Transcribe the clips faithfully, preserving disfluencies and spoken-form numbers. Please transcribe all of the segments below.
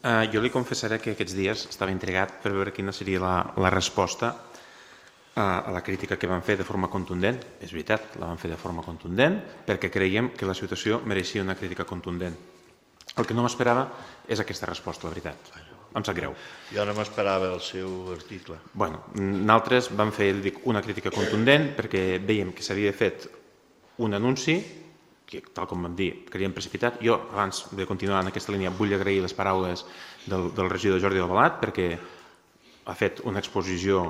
Uh, jo li confessaré que aquests dies estava intrigat per veure quina seria la, la resposta a, a la crítica que van fer de forma contundent. És veritat, la van fer de forma contundent perquè creiem que la situació mereixia una crítica contundent. El que no m'esperava és aquesta resposta, la veritat. Em sap greu. Jo no m'esperava el seu article. Bueno, nosaltres vam fer, dic, una crítica contundent perquè veiem que s'havia fet un anunci que, tal com vam dir, creiem precipitat. Jo, abans de continuar en aquesta línia, vull agrair les paraules del, del regidor Jordi Albalat perquè ha fet una exposició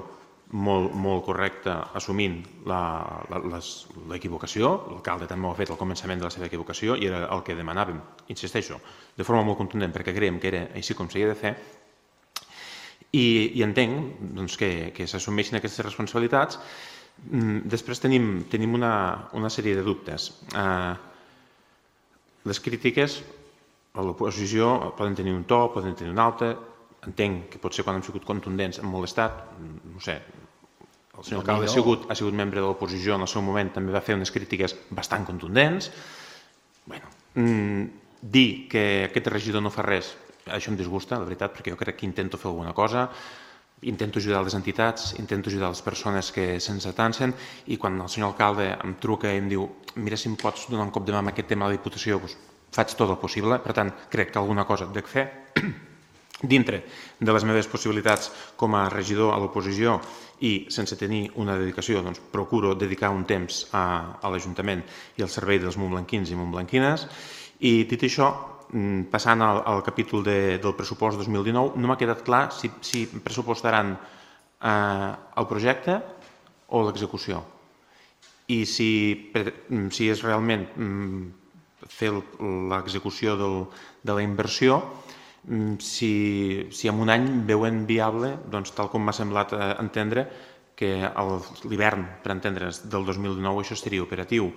molt, molt correcta assumint l'equivocació. L'alcalde també ho ha fet al començament de la seva equivocació i era el que demanàvem, insisteixo, de forma molt contundent perquè creiem que era així com s'havia de fer. I, i entenc doncs, que, que s'assumeixin aquestes responsabilitats. Després tenim, tenim una, una sèrie de dubtes. Eh, les crítiques a l'oposició poden tenir un to, poden tenir un altre. Entenc que potser quan hem sigut contundents hem molestat. No sé, el senyor alcalde ha sigut, ha sigut membre de l'oposició en el seu moment, també va fer unes crítiques bastant contundents. Bueno, dir que aquest regidor no fa res, això em disgusta, la veritat, perquè jo crec que intento fer alguna cosa. Intento ajudar les entitats, intento ajudar les persones que se'ns atansen i quan el senyor alcalde em truca i em diu mira si em pots donar un cop de mà amb aquest tema de la Diputació, doncs faig tot el possible. Per tant, crec que alguna cosa dec fer. Dintre de les meves possibilitats com a regidor a l'oposició i sense tenir una dedicació, doncs procuro dedicar un temps a, a l'Ajuntament i al servei dels montblanquins i montblanquines. I dit això, passant al, al capítol de, del pressupost dos mil dinou, no m'ha quedat clar si, si pressupostaran eh, el projecte o l'execució. I si, si és realment fer l'execució de la inversió, si, si en un any veuen viable, doncs, tal com m'ha semblat entendre, que l'hivern, per entendre's, del dos mil dinou això seria operatiu.